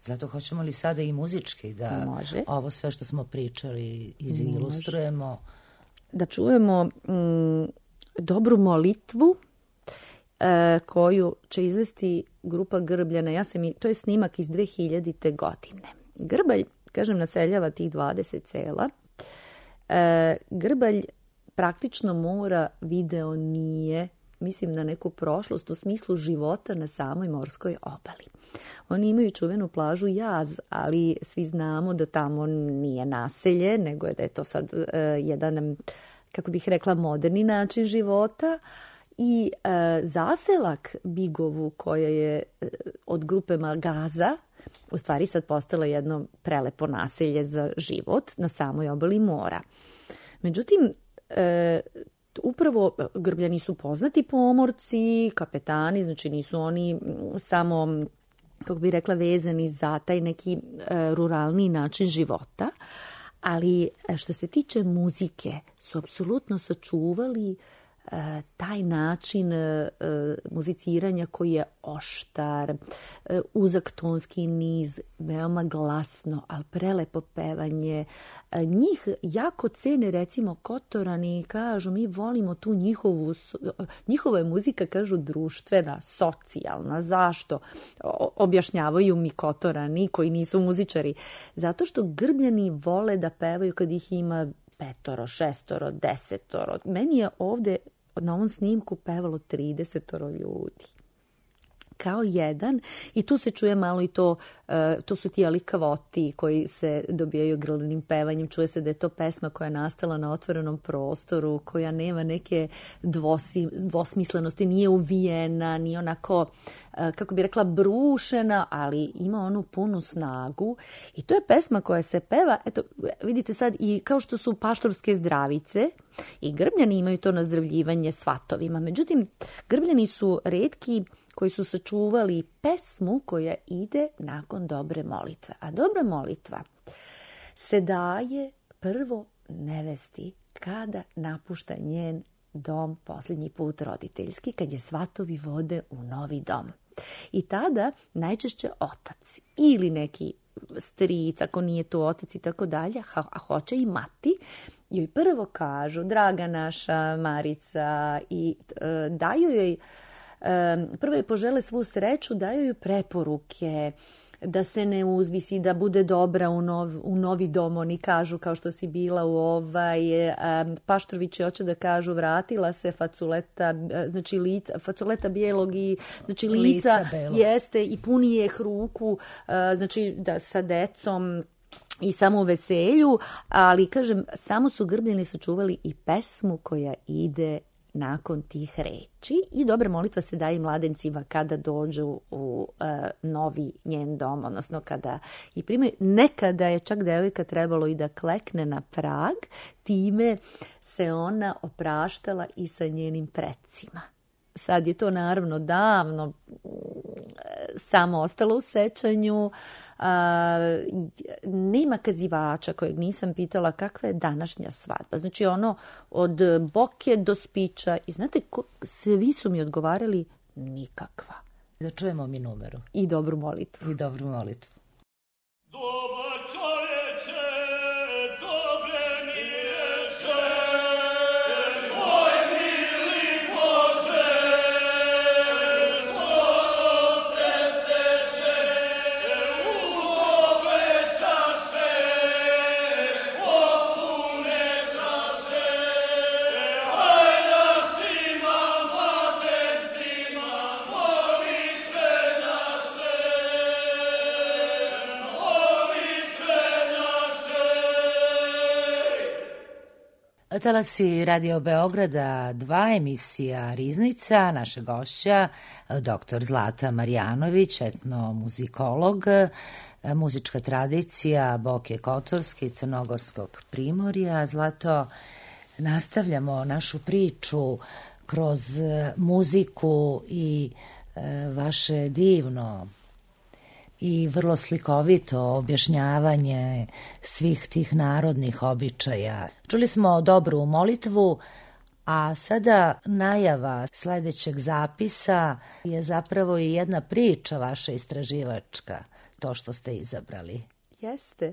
Zato hoćemo li sada i muzički da Može. ovo sve što smo pričali izilustrujemo? Da čujemo mm, dobru molitvu e, koju će izvesti grupa Grbljana. Ja sam i, to je snimak iz dve hiljadite. godine. Grbalj, kažem, naseljava tih dvadeset sela. E, Grbalj praktično mora, video nije, mislim na neku prošlost u smislu života na samoj morskoj obali. Oni imaju čuvenu plažu Jaz, ali svi znamo da tamo nije naselje, nego je da je to sad uh, jedan, kako bih rekla, moderni način života. I uh, zaselak Bigovu, koja je uh, od grupe Magaza, u stvari sad postala jedno prelepo naselje za život na samoj obali mora. Međutim, e, upravo Grbljani su poznati pomorci, kapetani, znači nisu oni samo, kako bih rekla, vezani za taj neki e, ruralni način života, ali što se tiče muzike su apsolutno sačuvali e, taj način e, muziciranja koji je oštar, e, uzak tonski niz, veoma glasno, ali prelepo pevanje. E, njih jako cene, recimo, Kotorani, kažu mi volimo tu njihovu, njihova je muzika, kažu, društvena, socijalna. Zašto? O, objašnjavaju mi Kotorani koji nisu muzičari. Zato što Grbljani vole da pevaju kad ih ima petoro, šestoro, desetoro. Meni je ovde na ovom snimku pevalo tridesetoro ljudi. Kao jedan. I tu se čuje malo i to, uh, to su ti alikavoti koji se dobijaju grlnim pevanjem. Čuje se da je to pesma koja je nastala na otvorenom prostoru, koja nema neke dvosi, dvosmislenosti, nije uvijena, nije onako, uh, kako bi rekla, brušena, ali ima onu punu snagu. I to je pesma koja se peva, eto, vidite sad, i kao što su paštorske zdravice, i Grbljani imaju to nazdravljivanje svatovima. Međutim, Grbljani su retki koji su sačuvali pesmu koja ide nakon dobre molitve. A dobra molitva se daje prvo nevesti kada napušta njen dom posljednji put roditeljski, kad je svatovi vode u novi dom. I tada najčešće otac ili neki stric, ako nije to otac i tako dalje, a hoće i mati, joj prvo kažu, draga naša Marica, i e, daju joj, e, prvo joj požele svu sreću, daju joj preporuke, da se ne uzvisi, da bude dobra u, nov, u novi dom, oni kažu, kao što si bila u ovaj, e, Paštrovići hoće da kažu, vratila se faculeta, znači lica, faculeta bijelog i, znači lica, lica jeste i puni je ruku, e, znači da sa decom i samo u veselju, ali kažem, samo su Grbljani sačuvali i pesmu koja ide nakon tih reči i dobra molitva se daje mladencima kada dođu u uh, novi njen dom, odnosno kada i primaju. Nekada je čak devojka trebalo i da klekne na prag, time se ona opraštala i sa njenim precima. Sad je to naravno davno samo ostalo u sećanju. A, nema kazivača kojeg nisam pitala kakva je današnja svadba. Znači ono od boke do spića. I znate, ko, svi su mi odgovarali nikakva. Da čujemo mi numeru. I dobru molitvu. I dobru molitvu. Dobar čovječe, dobre mi reče, moj mili Bože, skoro se steče, u dobre čaše, potpune čaše, aj našima mladencima, molitve naše, Talasi Radio Beograda dva, emisija Riznica, naša gošća, doktor Zlata Marjanović, etnomuzikolog, muzička tradicija Boke Kotorske i Crnogorskog primorja. Zlato, nastavljamo našu priču kroz muziku i vaše divno i vrlo slikovito objašnjavanje svih tih narodnih običaja. Čuli smo dobru molitvu, a sada najava sledećeg zapisa je zapravo i jedna priča vaša istraživačka. to što ste izabrali. Jeste.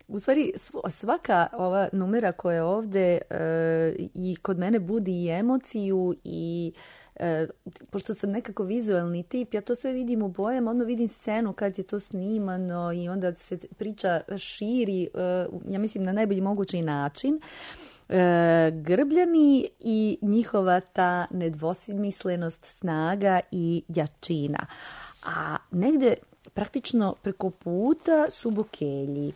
U stvari, svaka ova numera koja je ovde e, i kod mene budi i emociju i e, pošto sam nekako vizualni tip, ja to sve vidim u bojama, odmah vidim scenu kad je to snimano i onda se priča širi, e, ja mislim na najbolji mogući način. E, Grbljani i njihova ta nedvosmislenost, snaga i jačina. A negde praktično preko puta su Bokelji.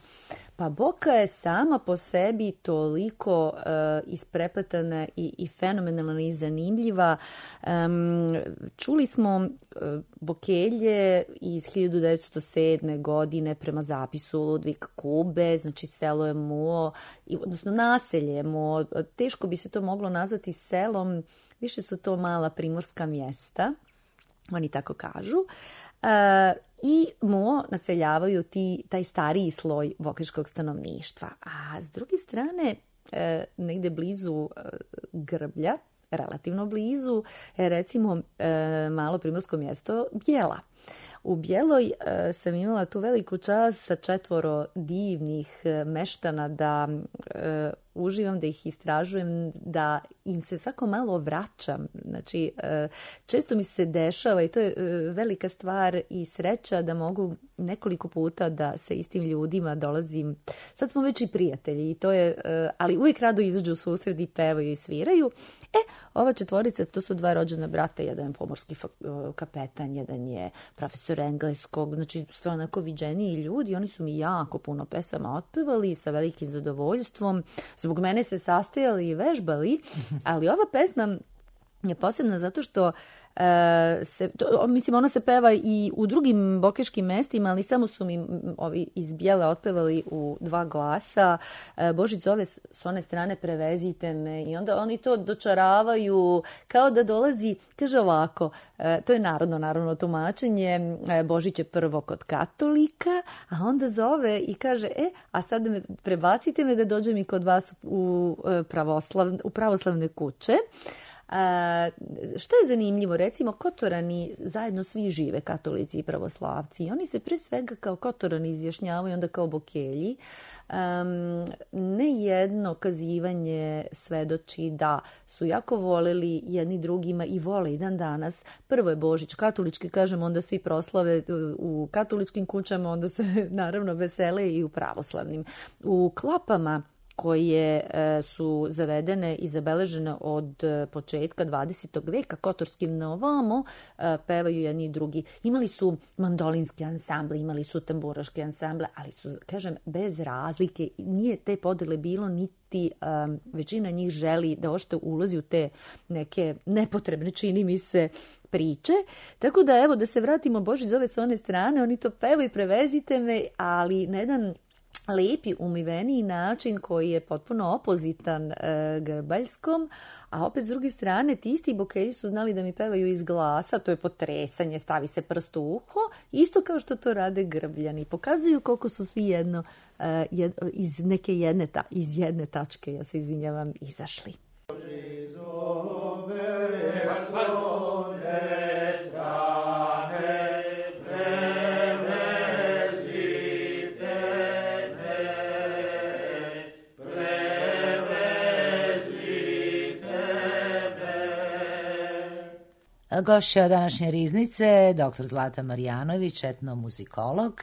Pa Boka je sama po sebi toliko uh, isprepletana i, i fenomenalna i zanimljiva. Um, čuli smo uh, Bokelje iz hiljadu devetsto sedme. godine prema zapisu Ludvika Kube, znači selo je Muo, odnosno naselje je Muo. Teško bi se to moglo nazvati selom, više su to mala primorska mjesta, oni tako kažu. Uh, I Muo naseljavaju ti, taj stariji sloj bokeljskog stanovništva. A s druge strane, e, negde blizu e, Grblja, relativno blizu, je recimo e, malo primorsko mjesto Bjela. U Bjeloj e, sam imala tu veliku čast sa četvoro divnih e, meštana da e, uživam, da ih istražujem, da im se svako malo vraćam. Znači, e, često mi se dešava i to je e, velika stvar i sreća da mogu nekoliko puta da sa istim ljudima dolazim. Sad smo već i prijatelji, i to je, e, ali uvijek rado izađu u susret i pevaju i sviraju. E, ova četvorica, to su dva rođena brata, jedan je pomorski kapetan, jedan je profesor engleskog, znači sve onako viđeniji ljudi, oni su mi jako puno pesama otpevali sa velikim zadovoljstvom. Zbog mene se sastajali i vežbali, ali ova pesma je posebna zato što e, se, to, mislim, ona se peva i u drugim bokeškim mestima, ali samo su mi ovi iz Bijele otpevali u dva glasa. E, Božić zove s one strane prevezite me i onda oni to dočaravaju kao da dolazi, kaže ovako, e, to je narodno, naravno tumačenje, e, Božić je prvo kod katolika, a onda zove i kaže, e, a sad me, prebacite me da dođem i kod vas u, pravoslav, u pravoslavne kuće. A, što je zanimljivo, recimo Kotorani zajedno svi žive, katolici i pravoslavci, i oni se pre svega kao Kotorani izjašnjavaju, onda kao Bokelji. Um, nejedno kazivanje svedoči da su jako voleli jedni drugima i vole i dan danas. Prvo je Božić katolički, kažemo, onda svi proslave u katoličkim kućama, onda se naravno vesele i u pravoslavnim. U klapama koje e, su zavedene i zabeležene od e, početka dvadesetog veka, kotorskim na ovamo, e, pevaju jedni i drugi. Imali su mandolinski ansambl, imali su tamburaški ansambl, ali su, kažem, bez razlike. Nije te podele bilo, niti um, većina njih želi da ošte ulazi u te neke nepotrebne, čini mi se, priče. Tako da, evo, da se vratimo, Božić zove s one strane, oni to pevaju, prevezite me, ali na jedan lepi, umiveniji način koji je potpuno opozitan e, grbaljskom, a opet s druge strane ti isti Bokelji su znali da mi pevaju iz glasa, to je potresanje, stavi se prst u uho, isto kao što to rade Grbljani. Pokazuju koliko su svi jedno e, jed, iz neke jedne, ta, iz jedne tačke, ja se izvinjavam, izašli. Gošća današnje riznice, doktor Zlata Marjanović, etnomuzikolog.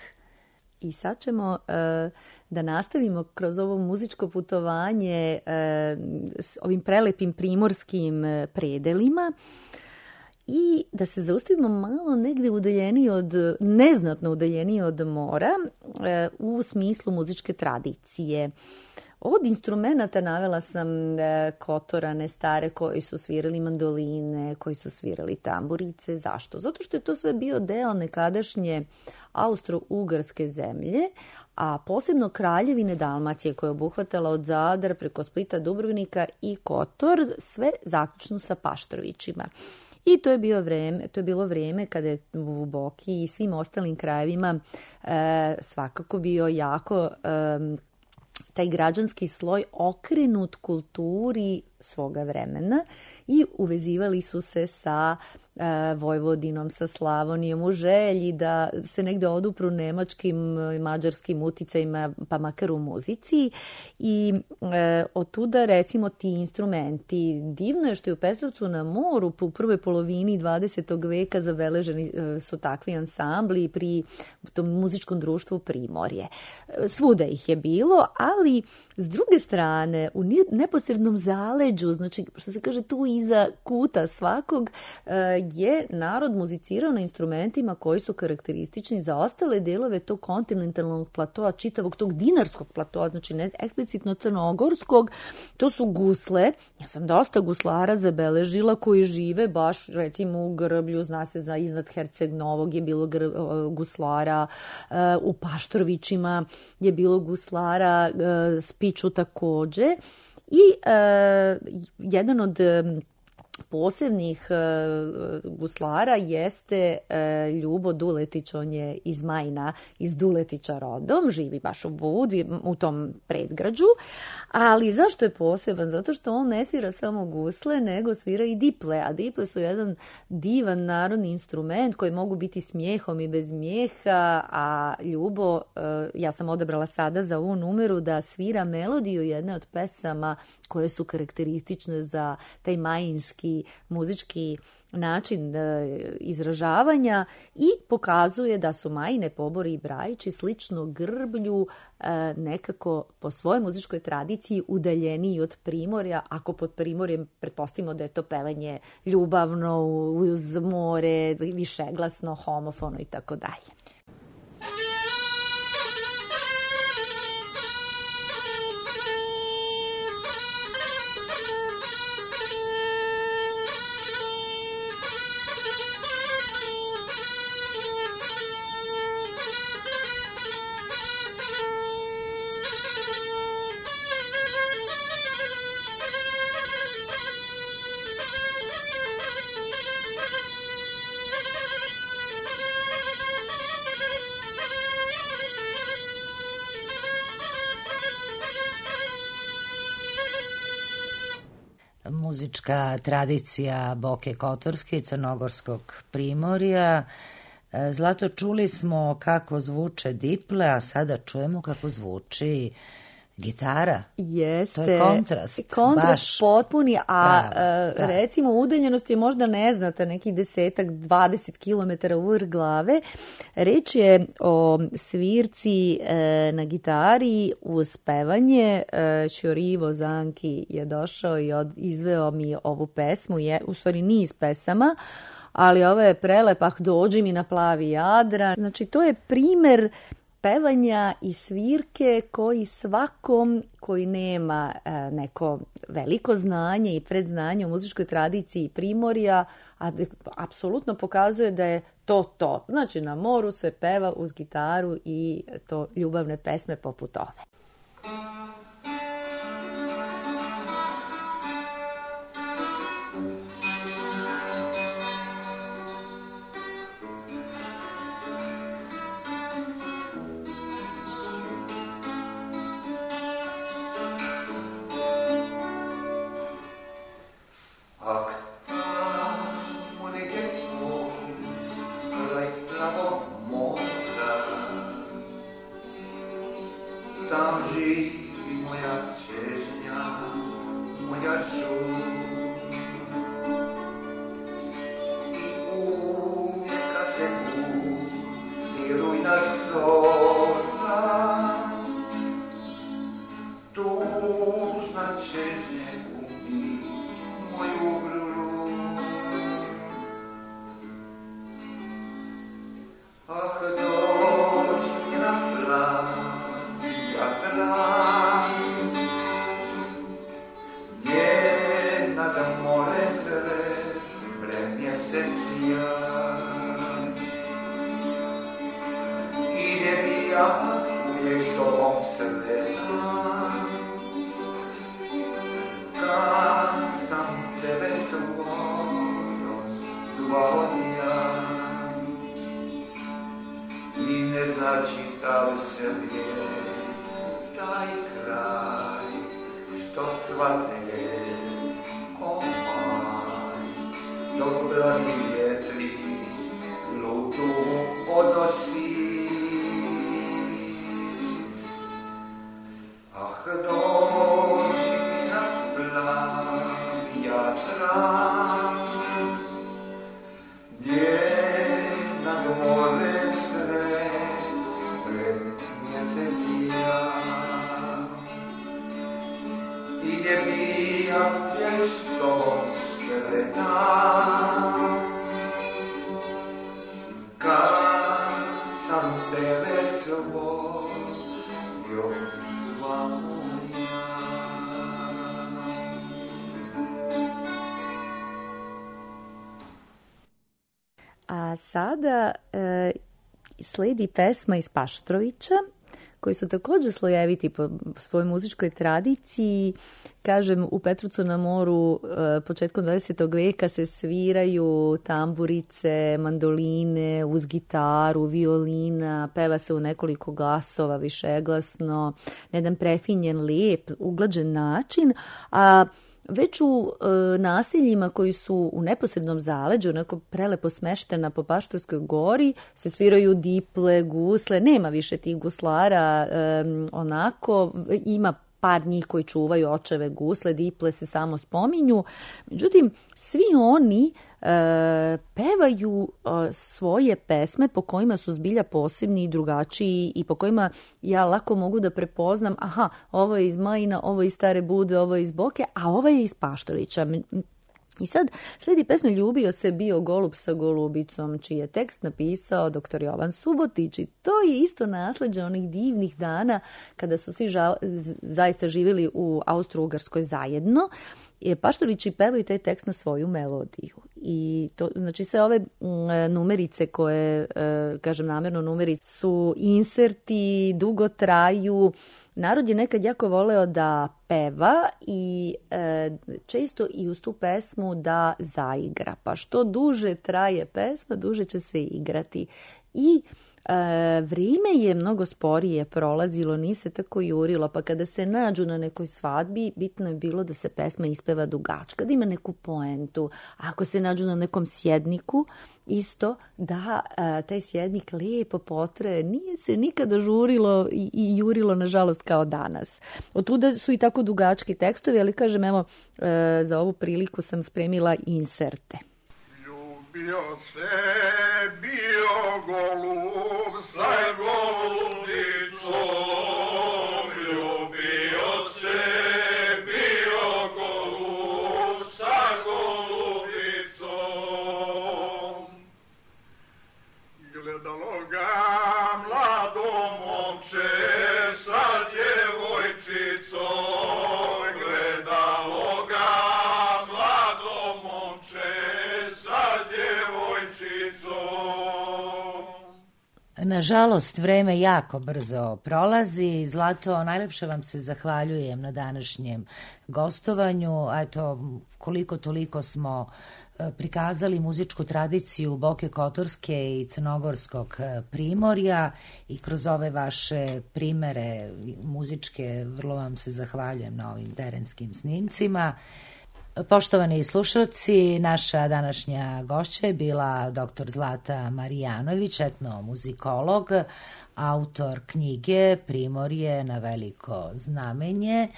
I sad ćemo uh, da nastavimo kroz ovo muzičko putovanje uh, s ovim prelepim primorskim uh, predelima i da se zaustavimo malo negde udaljeniji od, neznatno udaljeniji od mora uh, u smislu muzičke tradicije. Od instrumenta navela sam e, kotorane stare koji su svirali mandoline, koji su svirali tamburice. Zašto? Zato što je to sve bio deo nekadašnje austro-ugarske zemlje, a posebno kraljevine Dalmacije koja je obuhvatala od Zadra preko Splita, Dubrovnika i Kotor, sve zaključno sa Paštrovićima. I to je, bio vreme, to je bilo vrijeme kada je u Boki i svim ostalim krajevima e, svakako bio jako e, taj građanski sloj okrenut kulturi svoga vremena i uvezivali su se sa Vojvodinom, sa Slavonijom, u želji da se negde odupru nemačkim i mađarskim uticajima, pa makar u muzici. I e, od tuda, recimo, ti instrumenti. Divno je što je u Petrovcu na moru u prvoj polovini dvadesetog veka zabeleženi e, su takvi ansambli pri tom muzičkom društvu Primorje. Svuda ih je bilo, ali s druge strane, u neposrednom zaleđu, znači, što se kaže tu iza kuta svakog, je narod muzicirao na instrumentima koji su karakteristični za ostale delove tog kontinentalnog platoa, čitavog tog dinarskog platoa, znači ne eksplicitno crnogorskog. To su gusle. Ja sam dosta guslara zabeležila koji žive baš, recimo, u Grblju, zna se za iznad Herceg Novog je bilo guslara, u Paštrovićima je bilo guslara, Spiču takođe. I uh, jedan od posebnih uh, guslara jeste uh, Ljubo Duletić, on je iz Majna, iz Duletića rodom, živi baš u Budvi, u tom predgrađu. Ali zašto je poseban? Zato što on ne svira samo gusle, nego svira i diple, a diple su jedan divan narodni instrument koji mogu biti smijehom i bez smijeha, a Ljubo, uh, ja sam odabrala sada za ovu numeru da svira melodiju jedne od pesama koje su karakteristične za taj majinski muzički način e, izražavanja i pokazuje da su Majine, Pobori i Brajići slično Grblju e, nekako po svojoj muzičkoj tradiciji udaljeniji od Primorja, ako pod Primorjem pretpostavimo da je to pevanje ljubavno, uz more, višeglasno, homofono i tako dalje. Muzička tradicija Boke Kotorske i Crnogorskog Primorja. Zlato, čuli smo kako zvuče diple, a sada čujemo kako zvuči gitara. Jeste. To je kontrast. Kontrast baš potpuni, a pravo, da. recimo udaljenost je možda neznata, nekih desetak, dvadeset kilometara u vrh glave. Reč je o svirci e, na gitari uz pevanje. E, Ćorivo Zanki je došao i od, izveo mi ovu pesmu, je u stvari niz pesama, ali ovo je prelepak Dođi mi na plavi Jadran. Znači, to je primer pevanja i svirke koji svakom koji nema e, neko veliko znanje i predznanje u muzičkoj tradiciji Primorja, a apsolutno pokazuje da je to to. Znači, na moru se peva uz gitaru i to ljubavne pesme poput ove. Tam živi moja čežnja, moja šum. I uvijeka se budi rujna zorna, tužna čežnje budi moju grlu. Ah, dođi mi na plan, njena da more sre premjesecija i ne bi ja uvijek s tobom sretna kad sam tebe svojom zvao ja i ne znači da li se vije taj kraj što svate je komaj dok blagi vjetri lutu odnosi. Ah, dođi mi na plavija tran, gdje nad morem sred mjesec ja, i gdje bija pjestom skretan, kad sam tebe svojio zva moja. A sada e, sledi pesma iz Paštrovića, koji su također slojeviti po svojoj muzičkoj tradiciji. Kažem, u Petrovcu na moru e, početkom dvadesetog vijeka se sviraju tamburice, mandoline, uz gitaru, violina, peva se u nekoliko glasova, višeglasno, na jedan prefinjen, lijep, uglađen način, a već u e, naseljima koji su u neposrednom zaleđu, onako prelepo smeštena po Paštorskoj gori, se sviraju diple, gusle, nema više tih guslara, e, onako, ima par njih koji čuvaju očeve gusle, diple se samo spominju. Međutim, svi oni e, pevaju e, svoje pesme po kojima su zbilja posebni i drugačiji i po kojima ja lako mogu da prepoznam, aha, ovo je iz Majina, ovo je iz Stare Budve, ovo je iz Boke, a ovo je iz Paštorića. I sad sledi pesme Ljubio se bio golub sa golubicom, čiji je tekst napisao doktor Jovan Subotić, i to je isto nasleđe onih divnih dana kada su svi ža, zaista živjeli u Austro-Ugarskoj zajedno. Paštorići pevaju taj tekst na svoju melodiju. I to, znači sve ove numerice koje, kažem namjerno numerice, su inserti, dugo traju. Narod je nekad jako voleo da peva i e, često i uz tu pesmu da zaigra. Pa što duže traje pesma, duže će se igrati. I E, vrijeme je mnogo sporije prolazilo, nije se tako jurilo, pa kada se nađu na nekoj svadbi, bitno je bilo da se pesma ispeva dugačka, da ima neku poentu. A ako se nađu na nekom sjedniku, isto da e, taj sjednik lijepo potraje, nije se nikada žurilo i, i jurilo, nažalost, kao danas. Otuda su i tako dugački tekstovi, ali kažem, evo, e, za ovu priliku sam spremila inserte. Ljubio se bio golub sa golubicom, ljubio se bio golub sa golubicom. Gledalo ga mlado momče sa djevojčicom, gledalo ga mlado momče sa djevojčicom. Nažalost, vreme jako brzo prolazi. Zlato, najlepše vam se zahvaljujem na današnjem gostovanju. Eto, koliko toliko smo prikazali muzičku tradiciju Boke Kotorske i Crnogorskog primorja i kroz ove vaše primere muzičke vrlo vam se zahvaljujem na ovim terenskim snimcima. Poštovani slušalci, naša današnja gošća je bila doktor Zlata Marijanović, etnomuzikolog, autor knjige Primorje na veliko znamenje.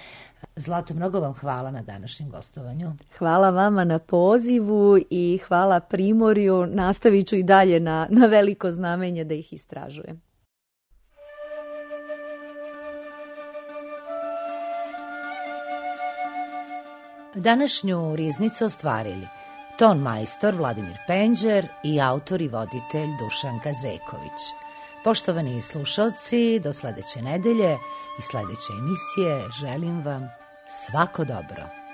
Zlato, mnogo vam hvala na današnjem gostovanju. Hvala vama na pozivu i hvala Primorju. Nastavit ću i dalje na, na veliko znamenje da ih istražujem. Današnju riznicu ostvarili ton majstor Vladimir Penđer i autor i voditelj Dušan Gazeković. Poštovani slušalci, do sledeće nedelje i sledeće emisije želim vam svako dobro.